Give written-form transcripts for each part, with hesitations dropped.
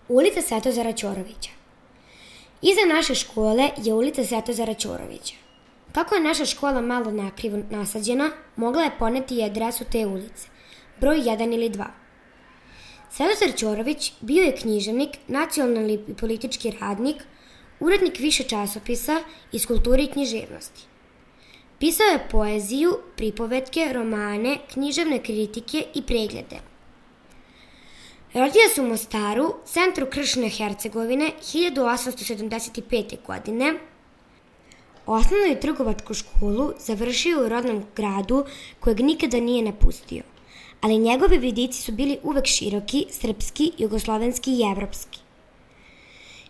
Ulica Svetozara Ćorovića. Iza naše škole je ulica Svetozara Ćorovića. Kako je naša škola malo nakrivo nasađena, mogla je poneti i adresu te ulice, broj 1 ili 2. Svetozar Ćorović bio je književnik, nacionalni i politički radnik, urednik više časopisa iz kulture i književnosti. Pisao je poeziju, pripovetke, romane, književne kritike i preglede. Rodio se u Mostaru, centru Kršne Hercegovine, 1875. godine. Osnovnu i trgovačku školu završio u rodnom gradu kojeg nikada nije napustio, ali njegovi vidici su bili uvek široki, srpski, jugoslovenski i evropski.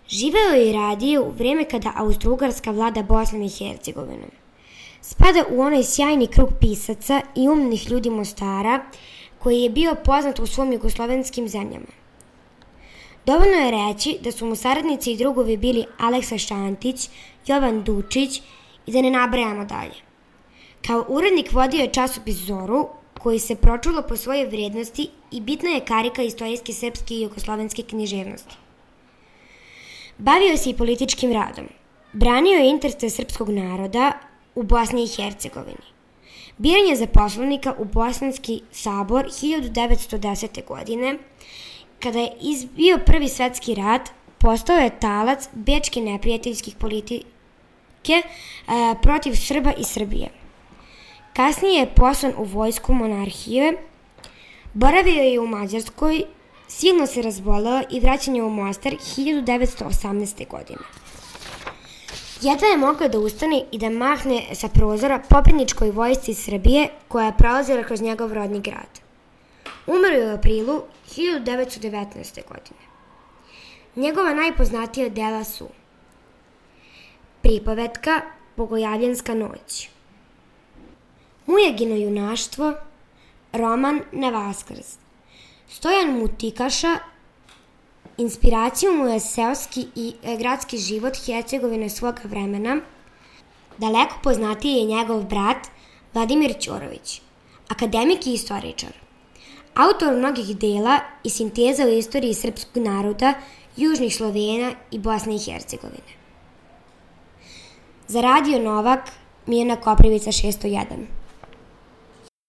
Živeo je i radio u vreme kada Austro-Ugarska vlada Bosnom i Hercegovinom. Spada u onaj sjajni krug pisaca i umnih ljudi Mostara koji je bio poznat u svom jugoslovenskim zemljama. Dovoljno je reći da su mu saradnici i drugovi bili Aleksa Šantić, Jovan Dučić i da ne nabrajamo dalje. Kao urednik vodio je časopis Zoru, koji se pročulo po svojoj vrednosti i bitna je karika istorijske srpske i jugoslovenske književnosti. Bavio se i političkim radom. Branio je interese srpskog naroda u Bosni i Hercegovini. Biran je za poslanika u Bosanski sabor 1910. godine. Kada je izbio Prvi svetski rat, postao je talac bečke neprijateljskih politike protiv Srba i Srbije. Kasnije je poslan u vojsku monarhije, boravio je u Mađarskoj, silno se razboleo i vraćan je u Mostar 1918. godine. Jedva je mogao da ustane i da mahne sa prozora pobjedničkoj vojsci Srbije koja je prolazila kroz njegov rodni grad. Umro je u aprilu 1919. godine. Njegova najpoznatija dela su pripovetka Bogojavljanska noć, Mujagino junaštvo, roman Na Vaskrs. Stojan Mutikaša, inspiraciju mu je seoski i gradski život Hercegovine svoga vremena. Daleko poznatiji je njegov brat Vladimir Ćorović, akademik i istoričar. Autor mnogih dela i sinteza u istoriji srpskog naroda, južnih Slovena i Bosne i Hercegovine. Za Radio Novak, Mijana Koprivica 601.